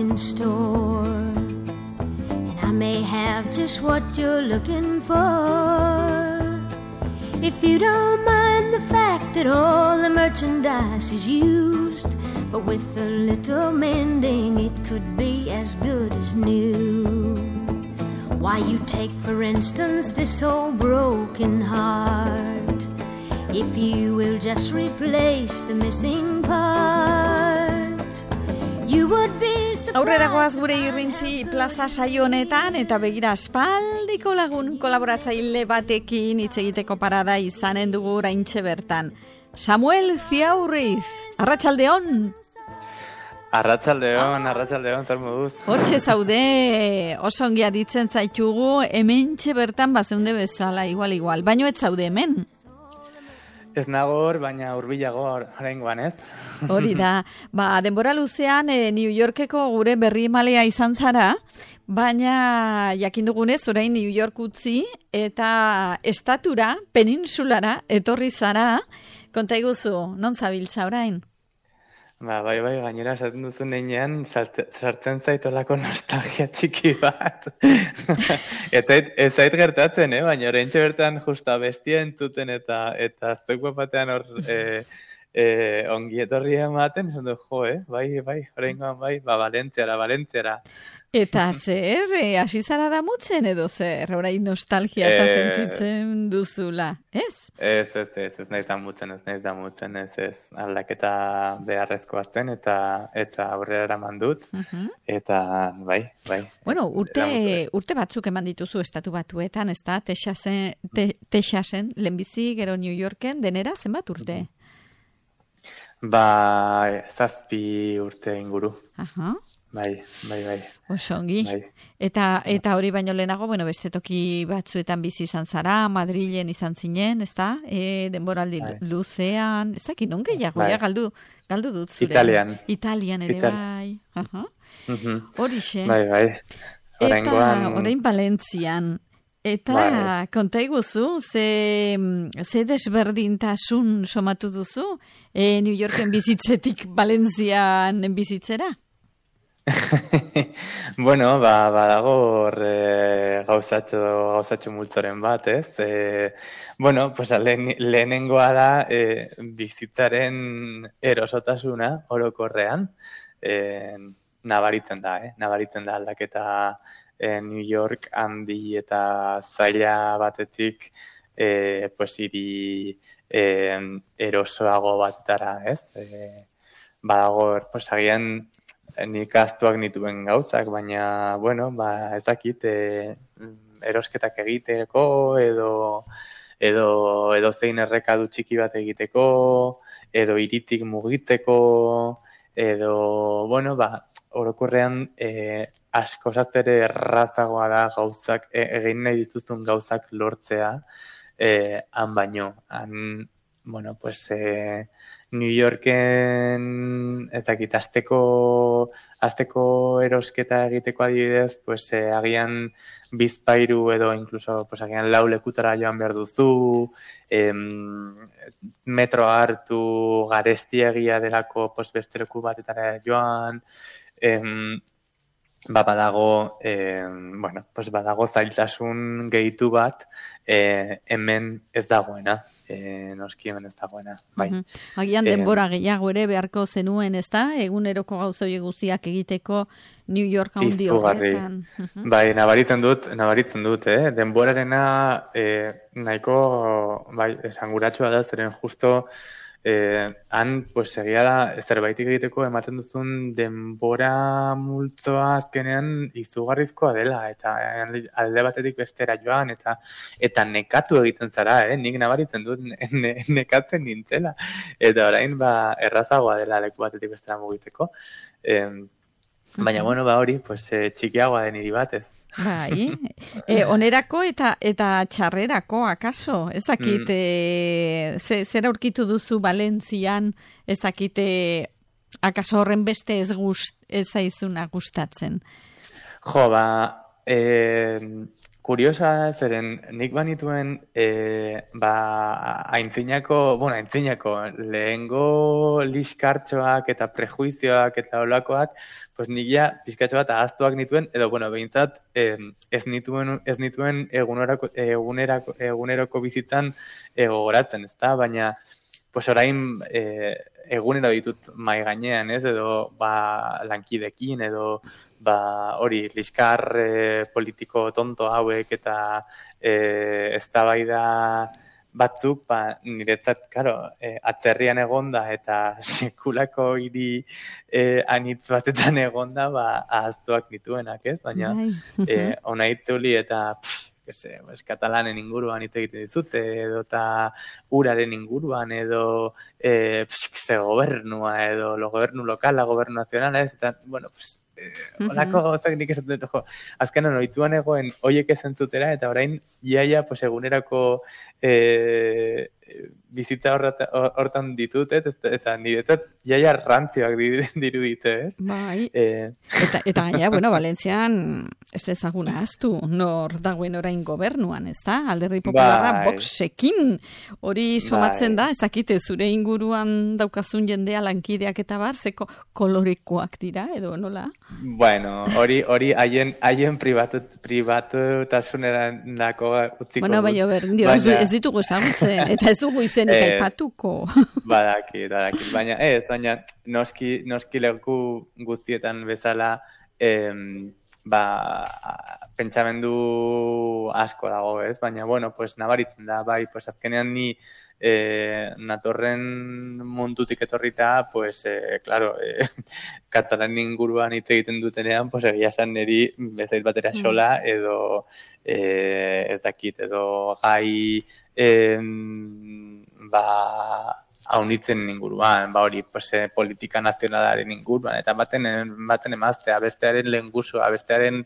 in store, and I may have just what you're looking for. If you don't mind the fact that all the merchandise is used, but with a little mending it could be as good as new. Why, you take for instance this old broken heart. If you will just replace the missing parts, you would be surprised. Aurrera goaz gure irrintzi plaza saio honetan, eta begira aspaldiko lagun kolaboratzaile batekin hitz egiteko parada izanen dugu oraintxe bertan. Samuel Ziaurriz, arratsaldeon. Arratsaldeon, zer moduz? Hortxe zaude, oso ongi aditzen zaitugu, hementxe bertan bazeunde bezala, igual, baino ez zaude hemen. Ez nago hor, baina hurbilago oraingoan, ez? Hori da, denbora luzean New Yorkeko gure berri emalea izan zara, baina jakin dugunez orain New York utzi eta estatura, peninsulara etorri zara, konta iguzu, non zabiltza orain? Bai, gainera esaten duzu neinean, sartzen zaitolako nostalgia txiki bat. Ez zait gertatzen, baina oraintxe bertan justa bestia entzuten eta zuek batean hor ongi etorri ematen, esan du, bai, oraingoan bai, Valentziara. Eta zer, hasi zara damutzen edo zer, orain nostalgia eta sentitzen duzula, ez? Ez naiz damutzen, ez. Aldaketa beharrezkoa zen eta aurrera eraman dut, eta bai. Bueno, urte batzuk eman dituzu Estatu Batuetan, ez da, Texasen, lehenbizi, gero New Yorken, denera zenbat urte? 7 urte inguru. Aha. Bai. Oso ongi. Bai. Eta hori baino lehenago, beste toki batzuetan bizi izan zara, Madrilen izan zinen, ezta? Denboraldi luzean, ez dakit, non gehiago, bai. Galdu dut zure. Italian ere, bai. Horixe. Bai. Eta orain Valentzian. Eta konta iguzu, ze desberdintasun somatu duzu New Yorken bizitzetik Valentzian bizitzera? Bueno, badago gauzatxo multzoren bat, ez? Lehenengoa da bizitzaren erosotasuna orokorrean nabaritzen da aldaketa New York handi eta zaila batetik hiri erosoago batetara, ez? Badago, agian nik ahaztuak nituen gauzak, baina, ez dakit, erosketak egiteko, edo zein errekadu txiki bat egiteko, edo hiritik mugitzeko, edo, orokorrean askozaz ere errazagoa da gauzak, egin nahi dituzun gauzak lortzea, han baino. New Yorken ezakit asteko erosketa egiteko adibidez, agian bizpairu edo incluso agian 4 lekutara joan behar duzu, metroa hartu, garestiegia delako beste leku batetara joan, badago zailtasun gehitu bat hemen ez dagoena. Noski hemen ez dagoena, bai. Agian denbora gehiago ere beharko zenuen, ez da? Eguneroko gauza horiek guztiak egiteko New York handi horretan. Bai, nabaritzen dut, denborarena nahiko esanguratsua da, zeren justo han, egia da, zerbaitik egiteko ematen duzun denbora multzoa azkenean izugarrizkoa dela, eta alde batetik bestera joan, eta nekatu egiten zara, nik nabaritzen dut nekatzen nintzela, eta orain errazagoa dela leku batetik bestera mugitzeko. Baina, hori, txikiagoa den hiri batez. Bai, onerako eta txarrerako, akaso? Ez dakit, zer aurkitu duzu Valentzian, ez dakit, akaso horren beste ez zaizuna gustatzen? kuriosa, zeren nik banituen aintzinako lehengo liskartxoak eta prejuizioak eta olakoak, pues nik ja pizkatxo bat ahaztuak nituen, edo, behintzat ez nituen eguneroko bizitzan gogoratzen, ezta? Baina, pues orain egunero ditut mai gainean, ez? Edo lankidekin, edo hori liskar politiko tonto hauek eta eztabaida batzuk, niretzat, atzerrian egonda eta sekulako hiri anitz batetan egonda, ahaztuak nituenak, ez? Baina, ona itzuli eta, katalanen inguruan hitz egiten dizute, edo eta uraren inguruan, edo gobernua, edo gobernu lokala, gobernu nazionala, ez? Eta, holako gauzak nik esaten dut, azkenan ohituan egoen hoiek ezentzutera, eta orain iaia egunerako bizitza hortan ditut, eta niretzat iaia rantzioak dirudite, ez? Bai, eta gaina, Valentzian ez ezaguna aztu, nor dagoen orain gobernuan, ez da? Alderdi Popularra Voxekin hori somatzen da, ez dakite zure inguruan daukazun jendea lankideak eta bar, zeko kolorekoak dira, edo nola? Bueno, hori haien pribatutasunerako utziko dut. Baina, ez ditugu esagutzen, eta ez dugu izenik aipatuko. Badakit, baina noski leku guztietan bezala pentsamendu asko dago, ez? Baina, nabaritzen da, azkenean ni natorren mundutik etorrita, katalan inguruan hitz egiten dutenean, egia esan niri bezait batera xola, edo ez dakit, edo gai haunitzen inguruan, hori politika nazionalaren inguruan, eta baten emaztea, bestearen lehengusua, bestearen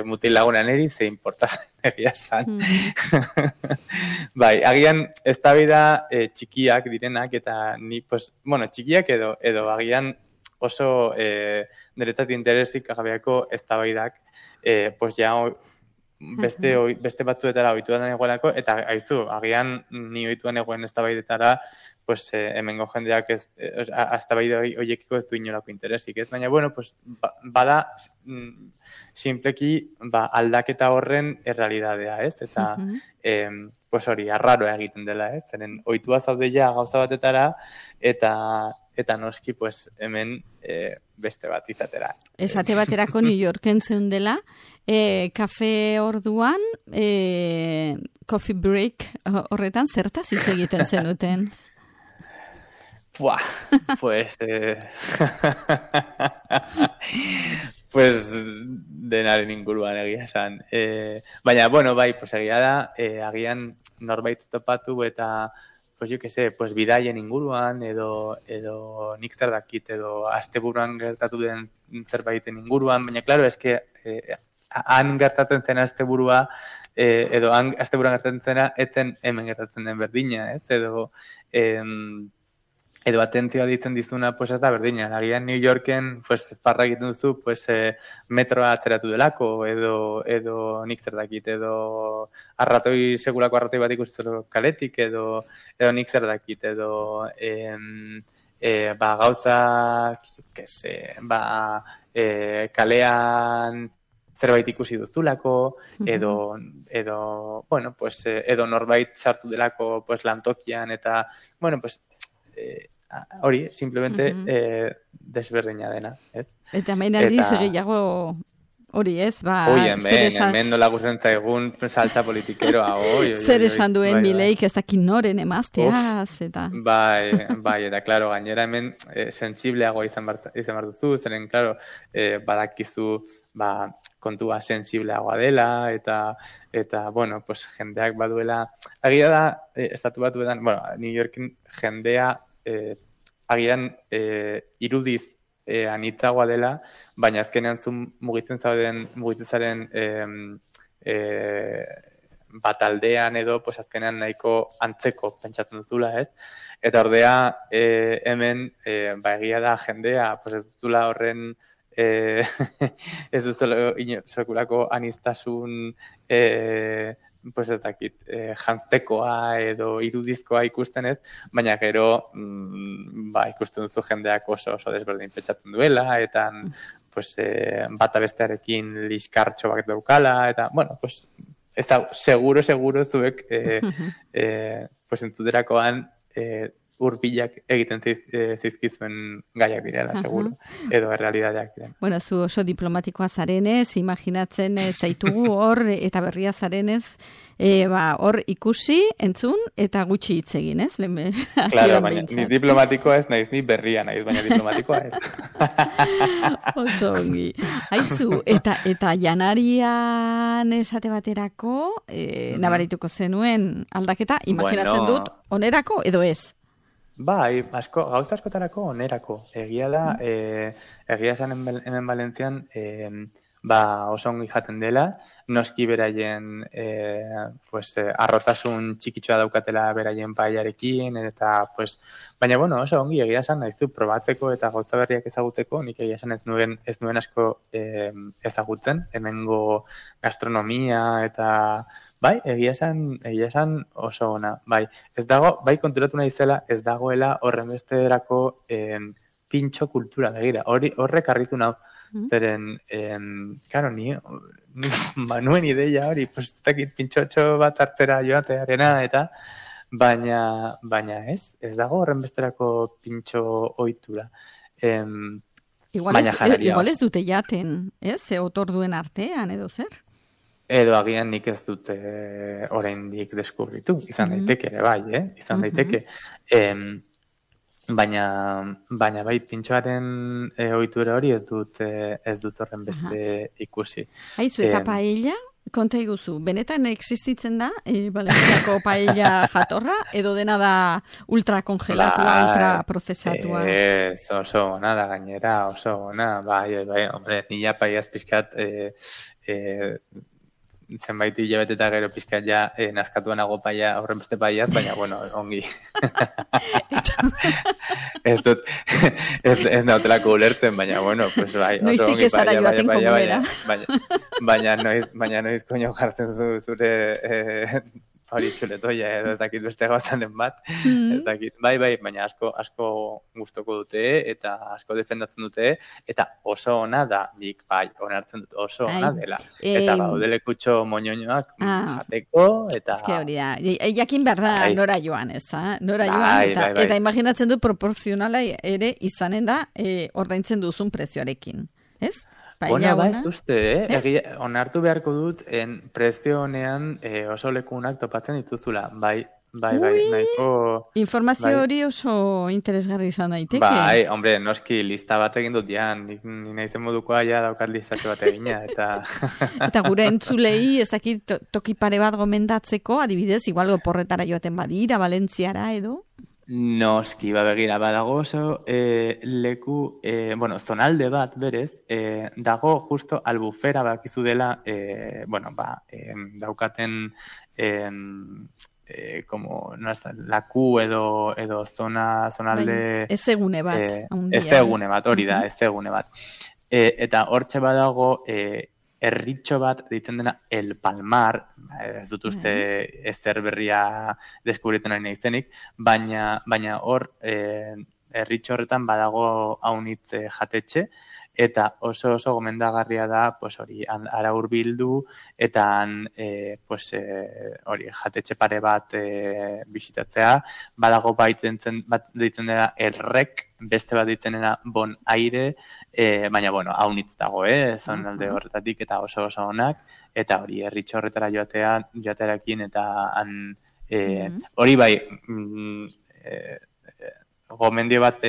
mutilagunan eri, ze importatzen egia esan. Agian eztabaida txikiak direnak, eta ni, txikiak edo agian oso niretzat interesik agabeako eztabaidak, beste batzuetara ohituan egoelako, eta aizu, agian ni ohituan egoen eztabaidetara, hemengo jendeak eztabaida horiekiko ez du inolako interesik, ez? Baina, bada simpleki aldaketa horren errealidadea, ez? Eta, hori, arraroa egiten dela, ez? Zeren, ohitua zaudeia gauza batetara, eta noski, hemen beste bat izatera. Esate baterako New Yorken zeundela, kafe orduan, coffee break horretan zertaz hitz egiten zenuten? Denaren inguruan egia esan. Baina, egia da, agian norbait topatu eta bidaien inguruan, edo nik zer dakit, edo asteburuan gertatu den zerbaiten inguruan, baina, klaro, han gertatzen zena asteburua, edo han asteburuan gertatzen zena, etzen hemen gertatzen den berdina, ez? Edo atentzioa ditzen dizuna, ez da berdina. Agian New Yorken, farra egiten duzu, metroa atzeratu delako, edo nik zer dakit, edo sekulako arratoi bat ikusten kaletik, edo nik zer dakit, edo gauzak, kalean zerbait ikusi duzulako, edo norbait sartu delako lantokian, eta, hori, simplemente desberdina dena, ez? Eta main aldiz gehiago hori ez, hemen nola gusten zaigun saltza politikeroa, zer esan duen Mileik ez dakit noren emazteaz, eta... eta, klaro, gainera hemen sensibleagoa izan behar duzu, zeren, klaro, badakizu, kontua sensibleagoa dela, eta jendeak baduela, agia da, estatu batuetan, New Yorken jendea, agian irudiz anitzagoa dela, baina azkenean zu mugitzen zaren bataldean edo, azkenean nahiko antzeko pentsatzen duzula, ez? Eta ordea, hemen, egia da jendea, ez duzula horren ez duzelo sekulako aniztasun pues ez dakit, jantztekoa edo irudizkoa ikusten ez, baina gero ikusten duzu jendeak oso desberdin pentsatzen duela, eta pues, bata bestearekin liskartxo bat daukala, eta, bueno, pues, ez da, seguro zuek pues, entzuterakoan urbilak egiten zizkizuen gaiak direla, seguro, edo errealidadeak diren. Bueno, zu oso diplomatikoa zarenez, imaginatzen zaitugu hor, eta berria zarenez, hor ikusi, entzun, eta gutxi hitz egin, ez? Claro, baina ni diplomatikoa ez naiz, ni berria naiz, baina diplomatikoa ez. Oso ongi. Aizu, eta janarian esate baterako, nabarituko zenuen aldaketa, imaginatzen dut, onerako edo ez? Bai, gauza askotarako onerako. Egia da, egia esan hemen Valentzian, oso ongi jaten dela, noski beraien arrotasun txikitsua daukatela beraien paiarekin, eta, baina, bueno, oso ongi egia esan nahizu probatzeko eta gauza berriak ezagutzeko, nik egia esan ez nuen asko ezagutzen, hemengo gastronomia eta, bai, egia esan oso ona, bai, ez dago, bai konturatu nahi zela, ez dagoela horren besterako pintxo kultura, begira, horrek harritu nau, zeren, karo, nuen ideia hori, pues, ez dakit pintxotxo bat hartzera joatearena, eta, baina ez dago horren besterako pintxo ohitura. Igual ez dute jaten, ez? Ze otorduen artean, edo zer? Edo agian nik ez dute oraindik deskubritu, izan daiteke ere bai, izan daiteke. Baina bai pintxoaren ohitura hori ez dut horren beste ikusi. Aizu, eta paella, konta iguzu, benetan existitzen da Valentziako paella jatorra, edo dena da ultrakongelatua, ultraprozesatua? Oso ona da gainera, oso ona, bai, hombre, nila paellaz pixkat zenbait hilabete eta gero pixkat ja nazkatuan nago paella, horren beste paellaz, baina, bueno, ongi. ez nautelako ulertzen, baina, bueno, pues bai, oso ongi paella, baina noiz koño jartzen zure hori txuletoia edo ez dakit beste gauzanen bat, ez dakit, bai, baina asko gustoko dute eta asko defendatzen dute, eta oso ona da, nik bai, onartzen dut oso ona dela, eta baudelekutxo moñoñoak jateko, eta... Ez que hori da, jakin behar da nora joan, ez da? Nora joan, eta imaginatzen dut proporzionala ere izanen da ordaintzen duzun prezioarekin, ez? Ona ba ez uste, onartu beharko dut prezio honean oso lekunak topatzen dituzula, bai, nahiko... Informazio hori oso interesgarri izan daiteke. Bai, hombre, noski lista bat egin dut jan, ni naizen modukoa ja daukat listatxo bat egina, eta... Eta gure entzulei ezakit toki pare bat gomendatzeko, adibidez, igual oporretara joaten badira, Valentziara edo... Noski, begira, badago oso leku, zonalde bat berez, dago justo Albufera bakizu dela, daukaten laku edo zonalde... Ezegune bat, hori da, ezegune bat. Eta hortxe badago... Erritxo bat ditzen dena El Palmar, ez dut uste ezer berria deskubritzen ari nahizenik, baina hor erritxo horretan badago haunitz jatetxe, eta oso gomendagarria da, pues hori, ara hurbildu, eta hori, jatetxe pare bat bisitatzea, badago bat ditzen dena Errek, beste bat ditzen dena Bon Aire, baina, haunitz dago, zonalde horretatik, eta oso onak, eta hori, erritxo horretara joatearekin, eta hori bai, gomendio bat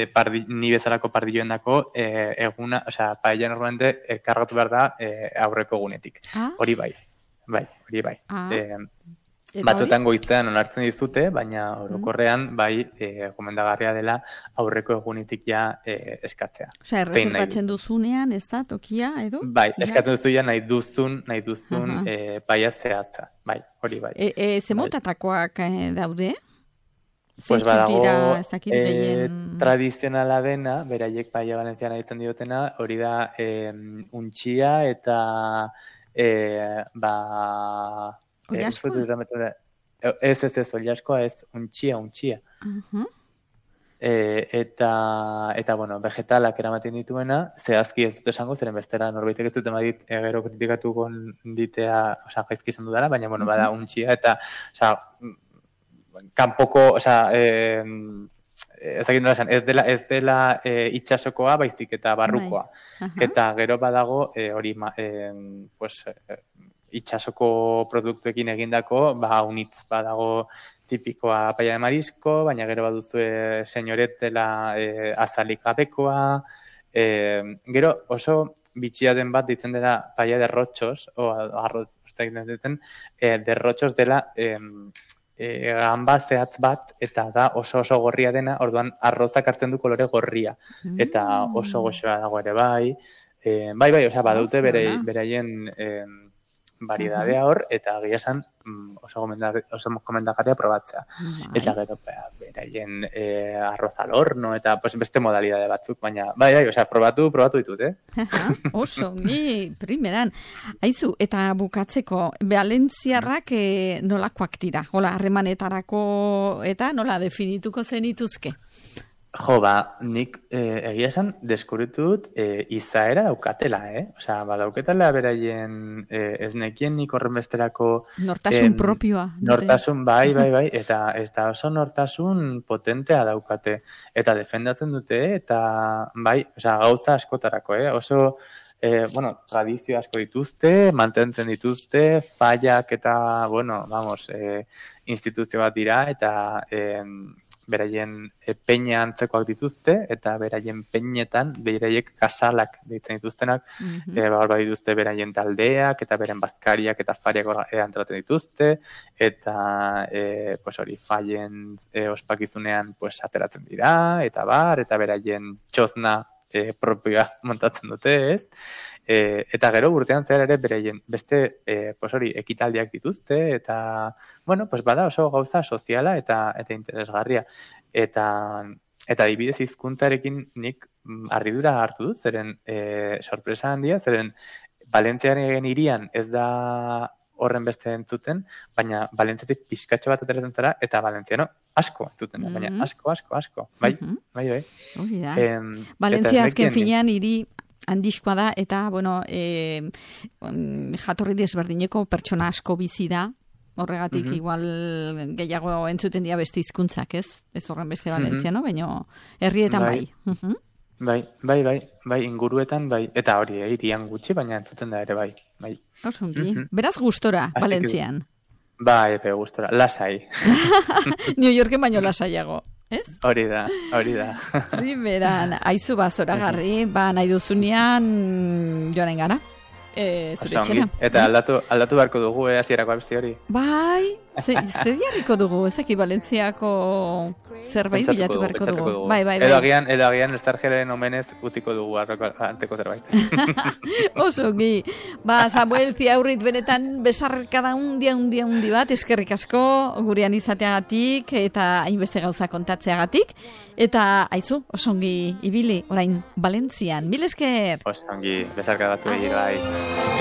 ni bezalako pardilloen dako eguna, paella normalmente kargatu behar da aurreko egunetik. Hori bai. Batzutan goizean onartzen dizute, baina orokorrean bai gomendagarria dela aurreko egunetik ja eskatzea. Erreserbatzen duzunean, ez da, tokia, edo? Bai, eskatzen duzu ja nahi duzun paella zehatza. Bai, hori bai. Ze motatakoak daude? Pues badago tradizionala dena, beraiek paella valentziana ditzen diotena, hori da untxia eta Ollaskoa? Ez, ollaskoa ez, untxia. Eta bueno, vegetalak eramaten dituena, zehazki ez dut esango, zeren bestera norbaitek ez dut emadit gero kritikatuko ditea, gaizki esan dudala, baina bueno, bada untxia eta, kanpoko, ez dela itxasokoa, baizik eta barrukoa. Eta gero badago, hori, itxasoko produktuekin egindako, unitz badago tipikoa paella de marisco, baina gero baduzue senyoret dela azalik gabekoa, gero oso bitxia den bat ditzen dela paella de rotxos, de rotxos dela gamba zehatz bat, eta da oso gorria dena, orduan arrozak hartzen du kolore gorria, eta oso goxoa dago ere bai, badute beraien variedadea hor, eta egia esan oso gomendagarria probatzea. Eta gero, beraien arroz al horno, eta beste modalidade batzuk, baina, probatu ditut, Oso, primeran. Aizu, eta bukatzeko, valentziarrak nolakoak dira? Hola, harremanetarako eta nola definituko zenituzke? Jo, nik egia esan deskubritu dut izaera daukatela, badauketela beraien ez nekien nik horren besterako... Nortasun propioa. Nortasun, bai, eta oso nortasun potentea daukate. Eta defendatzen dute, eta gauza askotarako, oso... tradizio asko dituzte, mantentzen dituzte, fallak eta, instituzio bat dira, eta... beraien peña antzekoak dituzte, eta beraien peñetan, beraiek kasalak ditzen dituztenak, dituzte beraien taldeak, eta beren bazkariak eta fariak antolatzen dituzte, eta hori fallen ospakizunean ateratzen dira, eta beraien txozna propioa montatzen dute, ez? Eta gero urtean zehar ere beraien beste ekitaldiak dituzte, eta bada oso gauza soziala eta interesgarria. Eta adibidez hizkuntzarekin nik harridura hartu dut, zeren sorpresa handia, zeren Valentziaren hirian ez da horren beste entzuten, baina Valentziatik pixkatxo bat ateratzen zara, eta valentziano asko entzuten da, baina asko. Bai. Hori da. Valentzia azken finean hiri handizkoa da, eta, jatorri desberdineko pertsona asko bizi da, horregatik igual gehiago entzuten dira beste hizkuntzak, ez? Ez horren beste valentziano, baina herrietan bai. Bai, inguruetan bai, eta hori, hirian gutxi, baina entzuten da ere bai. Osongi, beraz gustora, Valentzian. Bai, gustora, lasai. New Yorken baino lasaiago. Ez? Hori da. Primeran, aizu zoragarri, nahi duzunean joanen gara. Zure etxena. Eta aldatu beharko dugu, hasierako abesti hori. Bai, zer jarriko dugu, ezaki Valentziako zerbait bilatu beharko dugu. Bai. Edo agian Estarjeren omenez utziko dugu anteko zerbait. Osongi. Samuel Ziaurrit benetan besarkada undi bat, eskerrik asko gurean izateagatik eta hainbeste gauza kontatzeagatik. Eta aizu, osongi ibili orain Valentzian. Mil esker. Osongi, besarkada batu bai.